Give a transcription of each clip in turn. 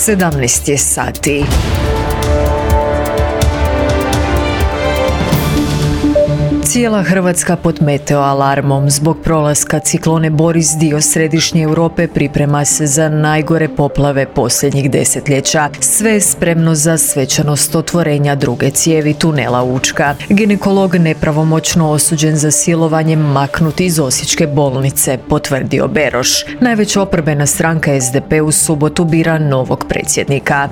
17 je sati. Cijela Hrvatska pod meteo alarmom. Zbog prolaska ciklone Boris dio središnje Europe priprema se za najgore poplave posljednjih desetljeća. Sve je spremno za svečanost otvorenja druge cijevi tunela Učka. Ginekolog nepravomoćno osuđen za silovanje maknut iz osječke bolnice, potvrdio Beroš. Najveća oporbena stranka SDP u subotu bira novog predsjednika.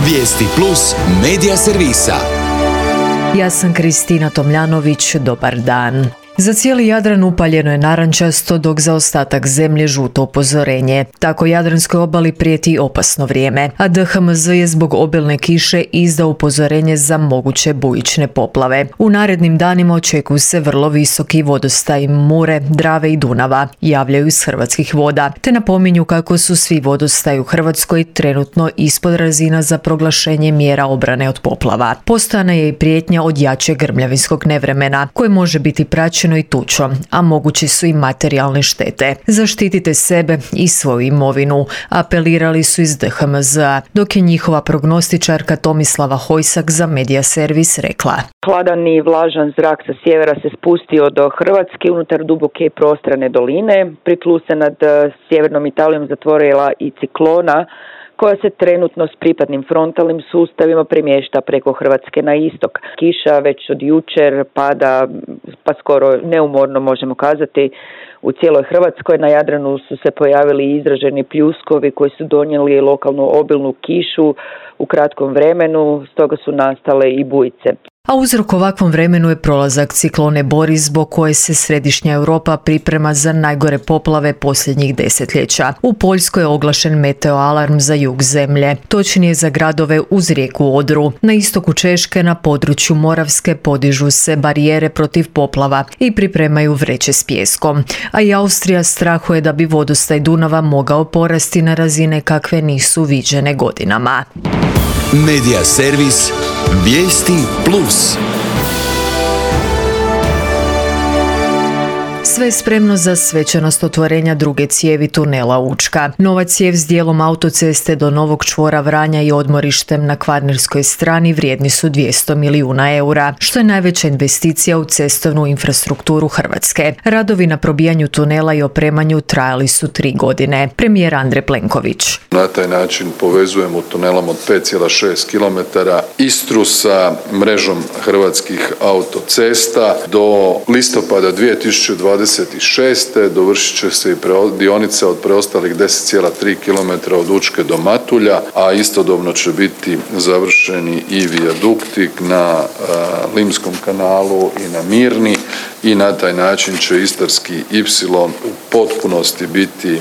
Vijesti plus medija servisa. Ja sam Kristina Tomljanović, dobar dan. Za cijeli Jadran upaljeno je narančasto, dok za ostatak zemlje žuto upozorenje. Tako Jadranskoj obali prijeti opasno vrijeme, a DHMZ je zbog obilne kiše izdao upozorenje za moguće bujične poplave. U narednim danima očekuju se vrlo visoki vodostaj Mure, Drave i Dunava, javljaju iz Hrvatskih voda, te napominju kako su svi vodostaji u Hrvatskoj trenutno ispod razina za proglašenje mjera obrane od poplava. Postojana je i prijetnja od jačeg grmljavinskog nevremena, koje može biti praćeno i tučom, a mogući su i materijalne štete. Zaštitite sebe i svoju imovinu, apelirali su iz DHMZ-a, dok je njihova prognostičarka Tomislava Hojsak za Medija Servis rekla: Hladan i vlažan zrak sa sjevera se spustio do Hrvatske unutar duboke i prostrane doline. Pri plus se nad sjevernom Italijom zatvorila i ciklona koja se trenutno s pripadnim frontalnim sustavima premješta preko Hrvatske na istok. Kiša već od jučer pada, pa skoro neumorno možemo kazati, u cijeloj Hrvatskoj. Na Jadranu su se pojavili izraženi pljuskovi koji su donijeli lokalnu obilnu kišu u kratkom vremenu, stoga su nastale i bujice. A uzrok ovakvom vremenu je prolazak ciklone Boris, zbog koje se središnja Europa priprema za najgore poplave posljednjih desetljeća. U Poljskoj je oglašen meteo alarm za jug zemlje, točnije za gradove uz rijeku Odru. Na istoku Češke, na području Moravske, podižu se barijere protiv poplava i pripremaju vreće s pijeskom. A i Austrija strahuje da bi vodostaj Dunava mogao porasti na razine kakve nisu viđene godinama. Medija servis. Vijesti plus. Sve je spremno za svečanost otvorenja druge cijevi tunela Učka. Nova cijev s dijelom autoceste do novog čvora Vranja i odmorištem na kvarnerskoj strani vrijedni su 200 milijuna eura, što je najveća investicija u cestovnu infrastrukturu Hrvatske. Radovi na probijanju tunela i opremanju trajali su 3 godine. Premijer Andrej Plenković: Na taj način povezujemo tunelom od 5,6 km Istru sa mrežom hrvatskih autocesta. Do listopada 2026. dovršit će se i dionica od preostalih 10,3 km od Učke do Matulja, a istodobno će biti završeni i vijadukti na Limskom kanalu i na Mirni i na taj način će Istarski Ipsilon u potpunosti biti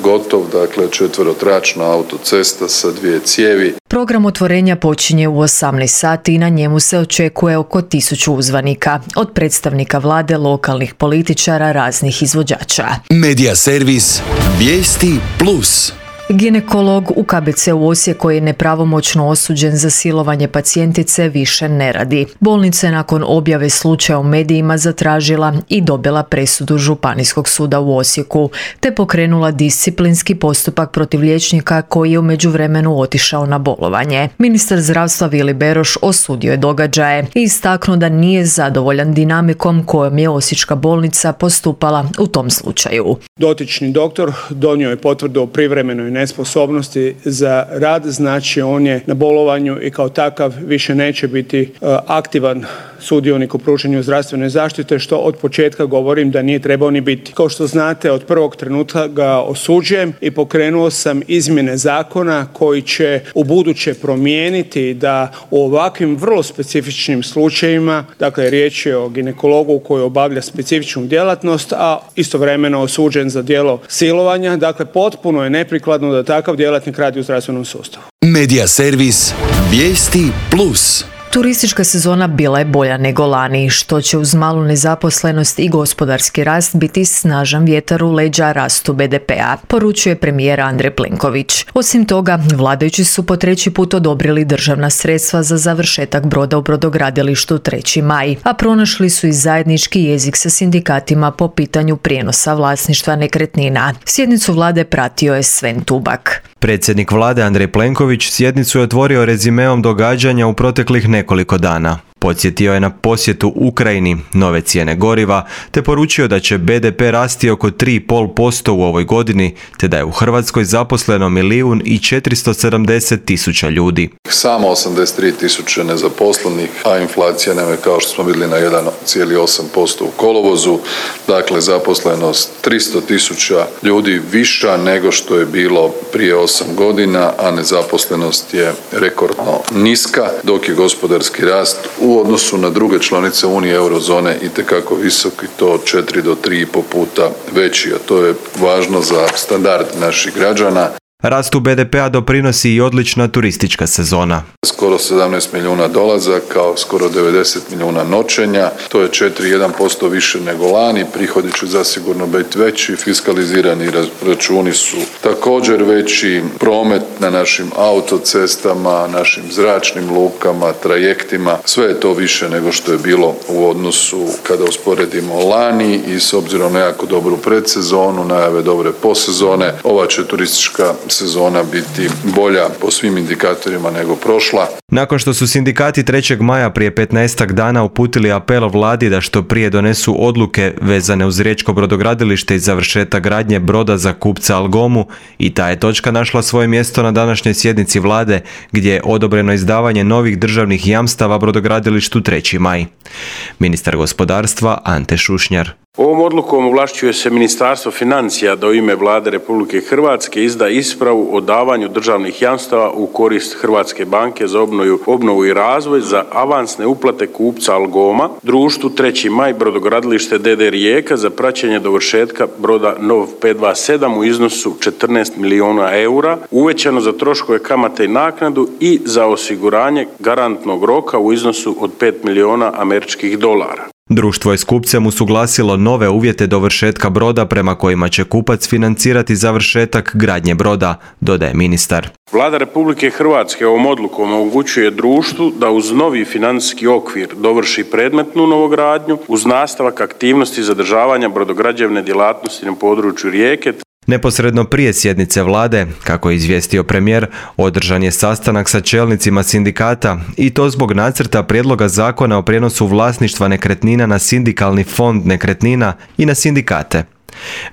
gotov, dakle četverotračna autocesta sa 2 cijevi. Program otvorenja počinje u 18 sati i na njemu se očekuje oko 1000 uzvanika, od predstavnika vlade, lokalnih političara, raznih izvođača. Medija servis. Vijesti plus. Ginekolog u KBC-u Osijek koji je nepravomoćno osuđen za silovanje pacijentice više ne radi. Bolnica je nakon objave slučaja u medijima zatražila i dobila presudu Županijskog suda u Osijeku, te pokrenula disciplinski postupak protiv liječnika koji je u međuvremenu otišao na bolovanje. Ministar zdravstva Vili Beroš osudio je događaje i istaknuo da nije zadovoljan dinamikom kojom je osječka bolnica postupala u tom slučaju. Dotični doktor donio je potvrdu o privremenoj nesposobnosti za rad, znači on je na bolovanju i kao takav više neće biti aktivan sudionik u pružanju zdravstvene zaštite, što od početka govorim da nije trebao ni biti. Kao što znate, od prvog trenutka ga osuđujem i pokrenuo sam izmjene zakona koji će ubuduće promijeniti da u ovakvim vrlo specifičnim slučajevima, dakle riječ je o ginekologu koji obavlja specifičnu djelatnost, a istovremeno osuđen za djelo silovanja, dakle potpuno je neprikladno da takav djelatnik radi u zdravstvenom sustavu. Medija servis. Vijesti plus. Turistička sezona bila je bolja nego lani, što će uz malu nezaposlenost i gospodarski rast biti snažan vjetar u leđa rastu BDP-a, poručuje premijer Andrej Plenković. Osim toga, vladajući su po treći put odobrili državna sredstva za završetak broda u brodogradilištu 3. maj, a pronašli su i zajednički jezik sa sindikatima po pitanju prijenosa vlasništva nekretnina. Sjednicu vlade pratio je Sven Tubak. Predsjednik vlade Andrej Plenković sjednicu je otvorio rezimeom događanja u proteklih nekoliko dana. Podsjetio je na posjetu Ukrajini, nove cijene goriva, te poručio da će BDP rasti oko 3,5% u ovoj godini, te da je u Hrvatskoj zaposleno 1.470.000 ljudi. Samo 83.000 nezaposlenih, a inflacija nam je, kao što smo vidjeli, na 1,8% u kolovozu. Dakle, zaposlenost 300.000 ljudi viša nego što je bilo prije 8 godina, a nezaposlenost je rekordno niska, dok je gospodarski rast u odnosu na druge članice Unije eurozone itekako visok i to 4 do 3,5 puta veći, a to je važno za standard naših građana. Rastu BDP-a doprinosi i odlična turistička sezona. Skoro 17 milijuna dolazaka, kao skoro 90 milijuna noćenja, to je 4,1% više nego lani, prihodi će zasigurno biti veći, fiskalizirani računi su također veći, promet na našim autocestama, našim zračnim lukama, trajektima, sve je to više nego što je bilo u odnosu kada usporedimo lani i s obzirom na jako dobru predsezonu, najave dobre posezone, ova će turistička sezona biti bolja po svim indikatorima nego prošla. Nakon što su sindikati 3. maja prije 15 dana uputili apel vladi da što prije donesu odluke vezane uz riječko brodogradilište i završetak gradnje broda za kupca Algomu, i ta je točka našla svoje mjesto na današnjoj sjednici vlade, gdje je odobreno izdavanje novih državnih jamstava brodogradilištu 3. maj. Ministar gospodarstva Ante Šušnjar. Ovom odlukom ovlašćuje se Ministarstvo financija da u ime Vlade Republike Hrvatske izda ispravu o davanju državnih jamstava u korist Hrvatske banke za obnovu i razvoj za avansne uplate kupca Algoma, društvu 3. maj brodogradilište d.d. Rijeka za praćenje dovršetka broda Nov 527 u iznosu 14 milijuna eura, uvećano za troškove kamate i naknadu i za osiguranje garantnog roka u iznosu od 5 milijuna američkih dolara. Društvo je s kupcem usuglasilo nove uvjete dovršetka broda prema kojima će kupac financirati završetak gradnje broda, dodaje ministar. Vlada Republike Hrvatske ovom odlukom omogućuje društvu da uz novi financijski okvir dovrši predmetnu novogradnju uz nastavak aktivnosti zadržavanja brodograđevne djelatnosti na području Rijeke. Neposredno prije sjednice vlade, kako je izvijestio premijer, održan je sastanak sa čelnicima sindikata i to zbog nacrta prijedloga zakona o prijenosu vlasništva nekretnina na sindikalni fond nekretnina i na sindikate.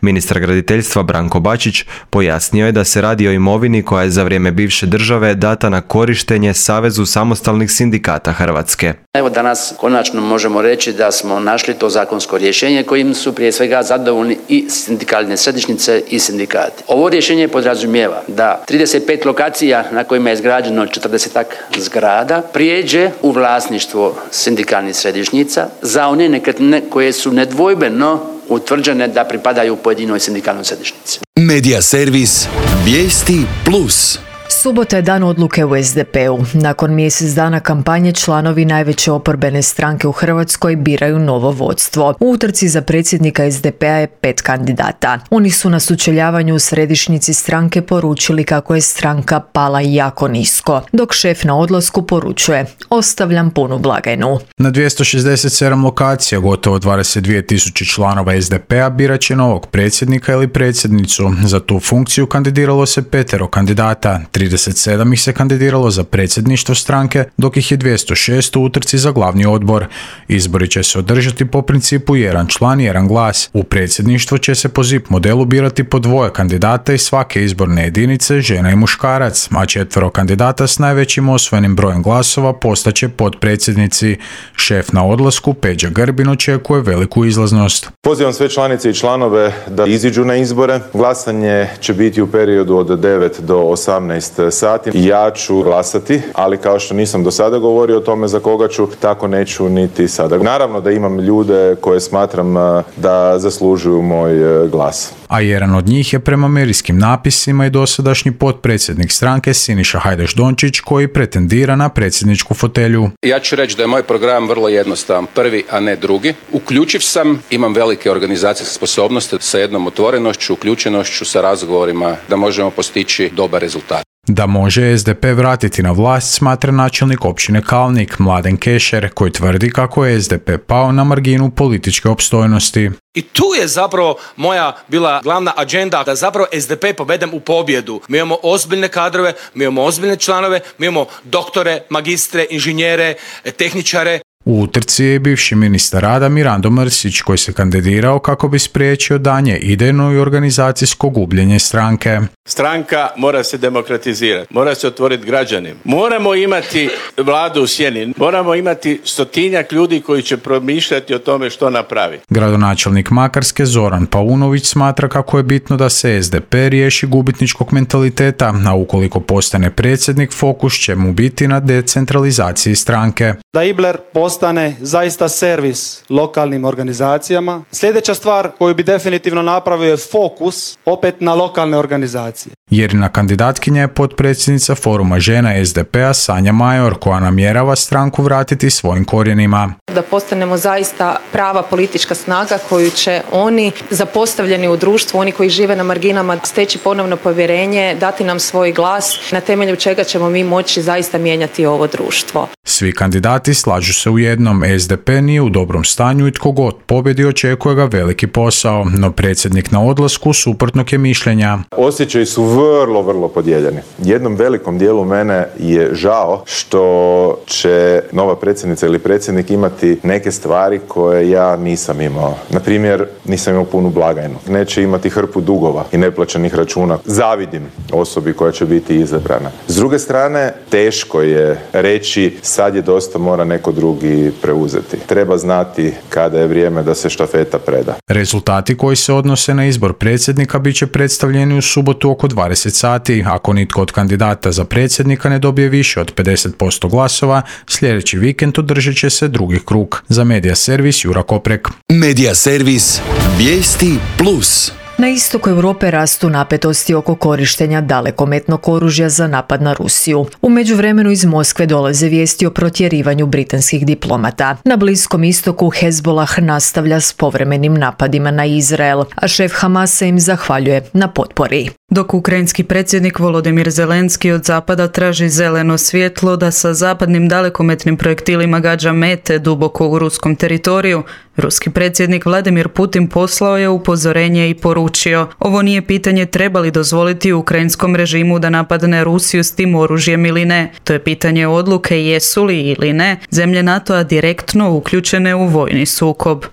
Ministar graditeljstva Branko Bačić pojasnio je da se radi o imovini koja je za vrijeme bivše države data na korištenje Savezu samostalnih sindikata Hrvatske. Evo danas konačno možemo reći da smo našli to zakonsko rješenje kojim su prije svega zadovoljni i sindikalne središnjice i sindikati. Ovo rješenje podrazumijeva da 35 lokacija na kojima je izgrađeno 40-ak zgrada prijeđe u vlasništvo sindikalnih središnjica za one nekretnine koje su nedvojbeno utvrđene da pripadaju pojedinoj sindikalnoj središnjici. Medija servis Vijesti Plus. Subota je dan odluke u SDP-u. Nakon mjesec dana kampanje članovi najveće oporbene stranke u Hrvatskoj biraju novo vodstvo. U utrci za predsjednika SDP-a je 5 kandidata. Oni su na sučeljavanju u središnjici stranke poručili kako je stranka pala jako nisko, dok šef na odlasku poručuje: ostavljam punu blagajnu. Na 267 lokacija gotovo 22.000 članova SDP-a birat će novog predsjednika ili predsjednicu. Za tu funkciju kandidiralo se 5 kandidata. 37 ih se kandidiralo za predsjedništvo stranke, dok ih je 206 u utrci za glavni odbor. Izbori će se održati po principu jedan član, jedan glas. U predsjedništvo će se po ZIP modelu birati po 2 kandidata iz svake izborne jedinice, žena i muškarac, a 4 kandidata s najvećim osvojenim brojem glasova postaće potpredsjednici. Šef na odlasku Peđa Grbin očekuje veliku izlaznost. Pozivam sve članice i članove da iziđu na izbore. Glasanje će biti u periodu od 9 do 18 sati. Ja ću glasati, ali kao što nisam do sada govorio o tome za koga ću, tako neću niti sada. Naravno da imam ljude koje smatram da zaslužuju moj glas. a jedan od njih je prema medijskim napisima i dosadašnji potpredsjednik stranke Siniša Hajdaš-Dončić koji pretendira na predsjedničku fotelju. Ja ću reći da je moj program vrlo jednostavan, prvi, a ne drugi. Uključiv sam, imam velike organizacijske sposobnosti sa jednom otvorenošću, uključenošću, sa razgovorima da možemo postići dobar rezultat. Da može SDP vratiti na vlast smatra načelnik općine Kalnik Mladen Kešer koji tvrdi kako je SDP pao na marginu političke opstojnosti. I tu je zapravo moja bila glavna agenda da zapravo SDP povedem u pobjedu. Mi imamo ozbiljne kadrove, mi imamo ozbiljne članove, mi imamo doktore, magistre, inženjere, tehničare. U utrci je bivši ministar rada Mirando Mrsić koji se kandidirao kako bi spriječio daljnje idejno i organizacijsko gubljenje stranke. Stranka mora se demokratizirati, mora se otvoriti građanima. Moramo imati vladu u sjeni, moramo imati 100-tinjak ljudi koji će promišljati o tome što napravi. Gradonačelnik Makarske Zoran Paunović smatra kako je bitno da se SDP riješi gubitničkog mentaliteta, a ukoliko postane predsjednik, fokus će mu biti na decentralizaciji stranke. Da Ibler postane zaista servis lokalnim organizacijama. Sljedeća stvar koju bi definitivno napravio je fokus opet na lokalne organizacije. Jerina kandidatkinja je potpredsjednica foruma žena SDP-a Sanja Major koja namjerava stranku vratiti svojim korijenima. Da postanemo zaista prava politička snaga koju će oni zapostavljeni u društvu, oni koji žive na marginama, steći ponovno povjerenje, dati nam svoj glas na temelju čega ćemo mi moći zaista mijenjati ovo društvo. Svi kandidati slažu se u jednom, SDP nije u dobrom stanju i tko god pobjedi očekuje ga veliki posao, no predsjednik na odlasku suprotnog je mišljenja. Osjećaji su vrlo podijeljeni. Jednom velikom dijelu mene je žao što će nova predsjednica ili predsjednik imati neke stvari koje ja nisam imao. Na primjer, nisam imao punu blagajnu. Neće imati hrpu dugova i neplaćenih računa. Zavidim osobi koja će biti izabrana. S druge strane, teško je reći sad je dosta, mora neko drugi preuzeti. Treba znati kada je vrijeme da se štafeta preda. Rezultati koji se odnose na izbor predsjednika bit će predstavljeni u subotu oko 20 sati. Ako nitko od kandidata za predsjednika ne dobije više od 50% glasova, sljedeći vikend održat će se drugi krug. Za Medija servis Jura Koprek. Medija servis Vijesti Plus. Na istoku Europe rastu napetosti oko korištenja dalekometnog oružja za napad na Rusiju. U međuvremenu iz Moskve dolaze vijesti o protjerivanju britanskih diplomata. Na Bliskom istoku Hezbollah nastavlja s povremenim napadima na Izrael, a šef Hamasa im zahvaljuje na potpori. Dok ukrajinski predsjednik Volodimir Zelenski od zapada traži zeleno svjetlo da sa zapadnim dalekometnim projektilima gađa mete duboko u ruskom teritoriju, ruski predsjednik Vladimir Putin poslao je upozorenje i poručio: ovo nije pitanje treba li dozvoliti ukrajinskom režimu da napadne Rusiju s tim oružjem ili ne. To je pitanje odluke jesu li ili ne zemlje NATO-a direktno uključene u vojni sukob.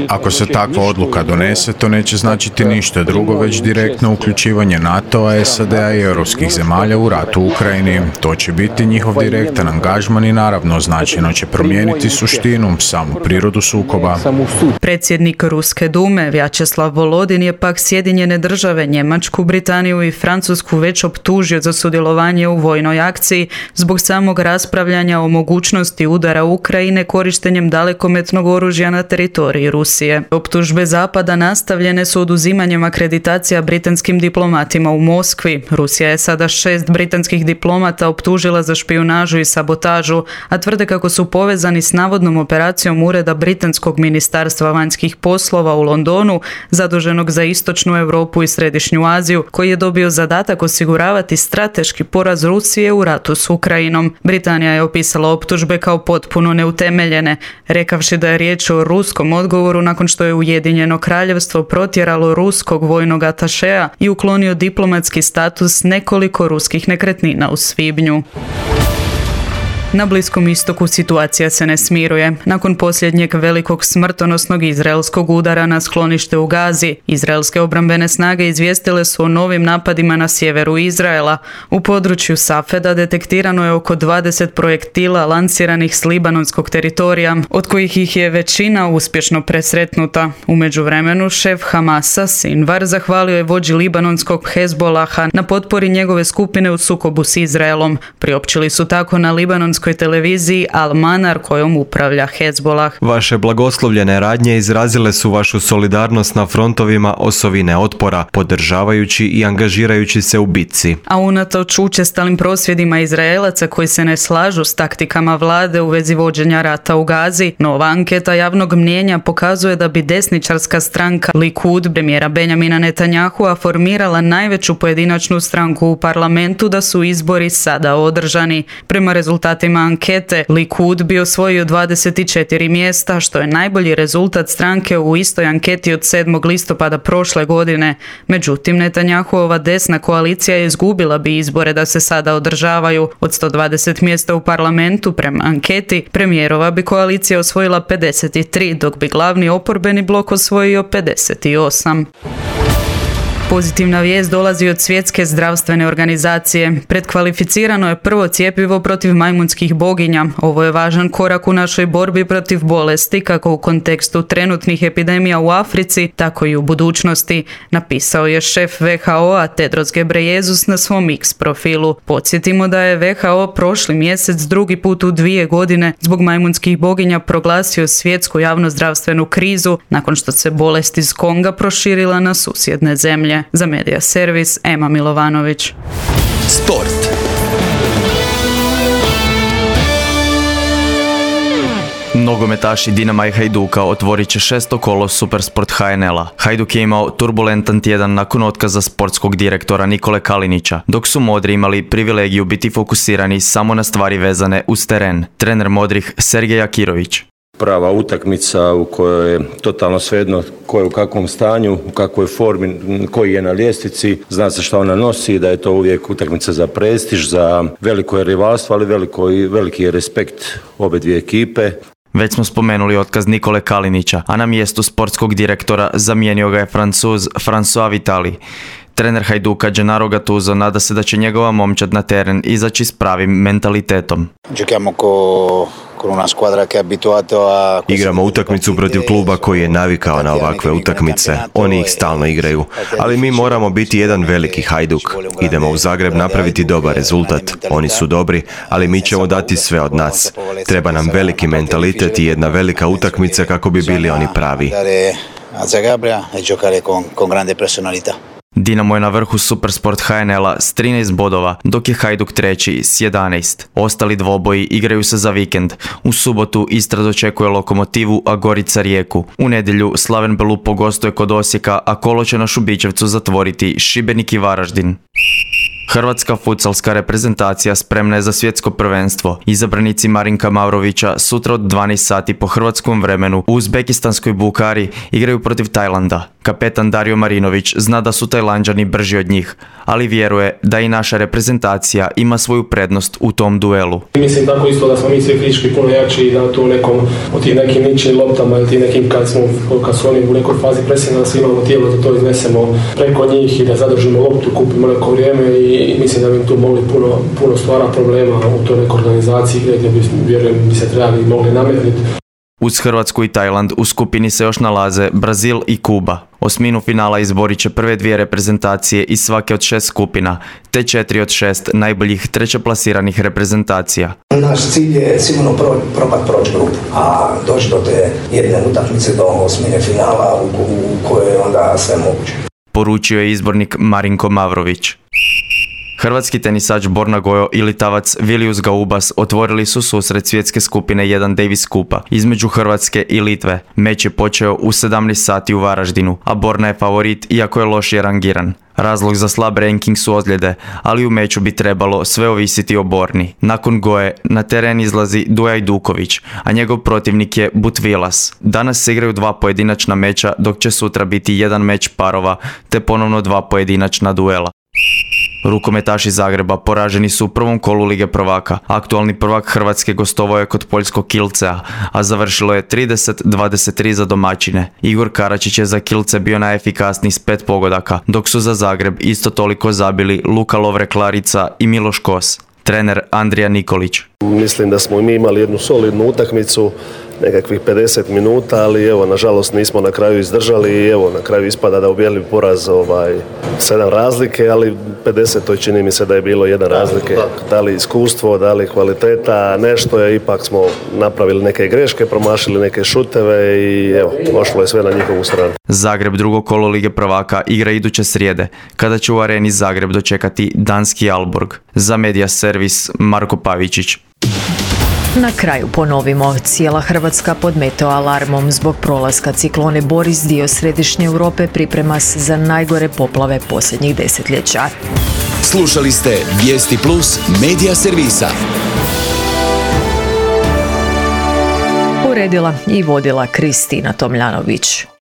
Ako se takva odluka donese, to neće značiti ništa drugo, već direktno uključivanje NATO-a, SAD-a i europskih zemalja u ratu u Ukrajini. To će biti njihov direktan angažman i naravno značajno će promijeniti suštinu, samu prirodu sukoba. Predsjednik Ruske dume Vjačeslav Volodin je pak Sjedinjene države, Njemačku, Britaniju i Francusku već optužio za sudjelovanje u vojnoj akciji zbog samog raspravljanja o mogućnosti udara Ukrajine korištenjem dalekometnog oružja na teritoriji Rusije. Optužbe Zapada nastavljene su oduzimanjem akreditacija britanskim diplomatima u Moskvi. Rusija je sada 6 britanskih diplomata optužila za špijunažu i sabotažu, a tvrde kako su povezani s navodnom operacijom Ureda Britanskog ministarstva vanjskih poslova u Londonu, zaduženog za Istočnu Europu i Središnju Aziju, koji je dobio zadatak osiguravati strateški poraz Rusije u ratu s Ukrajinom. Britanija je opisala optužbe kao potpuno neutemeljene, rekavši da je riječ o ruskom odgovoru nakon što je Ujedinjeno Kraljevstvo protjeralo ruskog vojnog atašea i uklonio diplomatski status nekoliko ruskih nekretnina u svibnju. Na Bliskom istoku situacija se ne smiruje. Nakon posljednjeg velikog smrtonosnog izraelskog udara na sklonište u Gazi, izraelske obrambene snage izvijestile su o novim napadima na sjeveru Izraela. U području Safeda detektirano je oko 20 projektila lansiranih s libanonskog teritorija, od kojih ih je većina uspješno presretnuta. U međuvremenu šef Hamasa, Sinvar, zahvalio je vođi libanonskog Hezbollaha na potpori njegove skupine u sukobu s Izraelom. Priopćili su tako na libanonskoj libanonskoj televiziji Al Manar kojom upravlja Hezbollah. Vaše blagoslovljene radnje izrazile su vašu solidarnost na frontovima osovine otpora, podržavajući i angažirajući se u bitci. A unatoč učestalim prosvjedima Izraelaca koji se ne slažu s taktikama vlade u vezi vođenja rata u Gazi, nova anketa javnog mnijenja pokazuje da bi desničarska stranka Likud premijera Benjamina Netanyahua formirala najveću pojedinačnu stranku u parlamentu da su izbori sada održani. Prema rezultatima ankete, Likud bi osvojio 24 mjesta, što je najbolji rezultat stranke u istoj anketi od 7. listopada prošle godine. Međutim, Netanjahuova desna koalicija izgubila bi izbore da se sada održavaju. Od 120 mjesta u parlamentu, prema anketi, premijerova bi koalicija osvojila 53, dok bi glavni oporbeni blok osvojio 58. Pozitivna vijest dolazi od Svjetske zdravstvene organizacije. Predkvalificirano je prvo cjepivo protiv majmunskih boginja. Ovo je važan korak u našoj borbi protiv bolesti, kako u kontekstu trenutnih epidemija u Africi, tako i u budućnosti, napisao je šef WHO-a Tedros Ghebreyesus na svom X profilu. Podsjetimo da je WHO prošli mjesec drugi put u 2 godine zbog majmunskih boginja proglasio svjetsku javnozdravstvenu krizu nakon što se bolest iz Konga proširila na susjedne zemlje. Za Medija servis Ema Milovanović. Sport. Nogometaši Dinama i Hajduka otvorit će 6. kolo Supersport HNL-a. Hajduk je imao turbulentan tjedan nakon otkaza sportskog direktora Nikole Kalinića, dok su Modri imali privilegiju biti fokusirani samo na stvari vezane uz teren. Trener Modrih Sergej Akirović. Prava utakmica u kojoj je totalno svejedno ko je u kakvom stanju, u kakvoj formi, koji je na ljestvici, zna se šta ona nosi, da je to uvijek utakmica za prestiž, za veliko je rivalstvo, ali veliki je respekt obe dvije ekipe. Već smo spomenuli otkaz Nikole Kalinića, a na mjestu sportskog direktora zamijenio ga je Francuz François Vitali. Trener Hajduka Gennaro Gattuso nada se da će njegova momčad na teren izaći s pravim mentalitetom. Igramo utakmicu protiv kluba koji je navikao na ovakve utakmice. Oni ih stalno igraju. Ali mi moramo biti jedan veliki Hajduk. Idemo u Zagreb napraviti dobar rezultat. Oni su dobri, ali mi ćemo dati sve od nas. Treba nam veliki mentalitet i jedna velika utakmica kako bi bili oni pravi. Dinamo je na vrhu Supersport HNL-a s 13 bodova, dok je Hajduk treći s 11. Ostali dvoboji igraju se za vikend. U subotu Istra dočekuje Lokomotivu, a Gorica Rijeku. U nedjelju Slaven Belupo gostuje kod Osijeka, a kolo će na Šubićevcu zatvoriti Šibenik i Varaždin. Hrvatska futsalska reprezentacija spremna je za svjetsko prvenstvo. Izabranici Marinka Mavrovića sutra od 12 sati po hrvatskom vremenu u uzbekistanskoj Bukari igraju protiv Tajlanda. Kapetan Dario Marinović zna da su Tajlanđani brži od njih, ali vjeruje da i naša reprezentacija ima svoju prednost u tom duelu. Mislim tako isto da smo mi svi fizički puno jači i da tu nekom od tih nekim ničim loptama ili ti nekim kad su oni u nekoj fazi presinga da svi imamo tijelo da to iznesemo preko njih i da zadržimo loptu, kupimo neko vrijeme i mislim da bi tu mogli puno stvara problema u toj nekoj organizaciji gdje vjerujem bi se trebali i mogli nametniti. Uz Hrvatsku i Tajland u skupini se još nalaze Brazil i Kuba. Osminu finala izborit će prve dvije reprezentacije iz svake od 6 skupina, te 4 od 6 najboljih trećeplasiranih reprezentacija. Naš cilj je sigurno proći grupu, a doći do te jedne utakmice do osmine finala u kojoj je onda sve moguće. Poručio je izbornik Marinko Mavrović. Hrvatski tenisač Borna Gojo i Litavac Vilius Gaubas otvorili su susret svjetske skupine 1 Davis Kupa između Hrvatske i Litve. Meč je počeo u 17 sati u Varaždinu, a Borna je favorit iako je lošije rangiran. Razlog za slab ranking su ozljede, ali u meču bi trebalo sve ovisiti o Borni. Nakon Goje na teren izlazi Duja Duković, a njegov protivnik je Butvilas. Danas se igraju 2 pojedinačna meča, dok će sutra biti 1 meč parova, te ponovno 2 pojedinačna duela. Rukometaši Zagreba poraženi su u prvom kolu Lige prvaka. Aktualni prvak Hrvatske gostovao je kod poljskog Kielcea, a završilo je 30-23 za domaćine. Igor Karačić je za Kielce bio najefikasniji s 5 pogodaka, dok su za Zagreb isto toliko zabili Luka Lovre Klarica i Miloš Kos. Trener Andrija Nikolić. Mislim da smo i mi imali jednu solidnu utakmicu, nekakvih 50 minuta, ali evo, nažalost nismo na kraju izdržali i evo, na kraju ispada da ubijeli poraz 7 razlike, ali 50. čini mi se da je bilo 1 razlike. Da li iskustvo, da li kvaliteta, nešto je, ipak smo napravili neke greške, promašili neke šuteve i evo, pošlo je sve na njihovu stranu. Zagreb drugo kolo Lige prvaka igra iduće srijede, kada će u areni Zagreb dočekati danski Aalborg. Za Media Servis Marko Pavičić. Na kraju ponovimo, cijela Hrvatska pod meteo alarmom zbog prolaska ciklone Boris, dio središnje Europe priprema se za najgore poplave posljednjih desetljeća. Slušali ste Vijesti Plus Media Servisa. Uredila i vodila Kristina Tomljanović.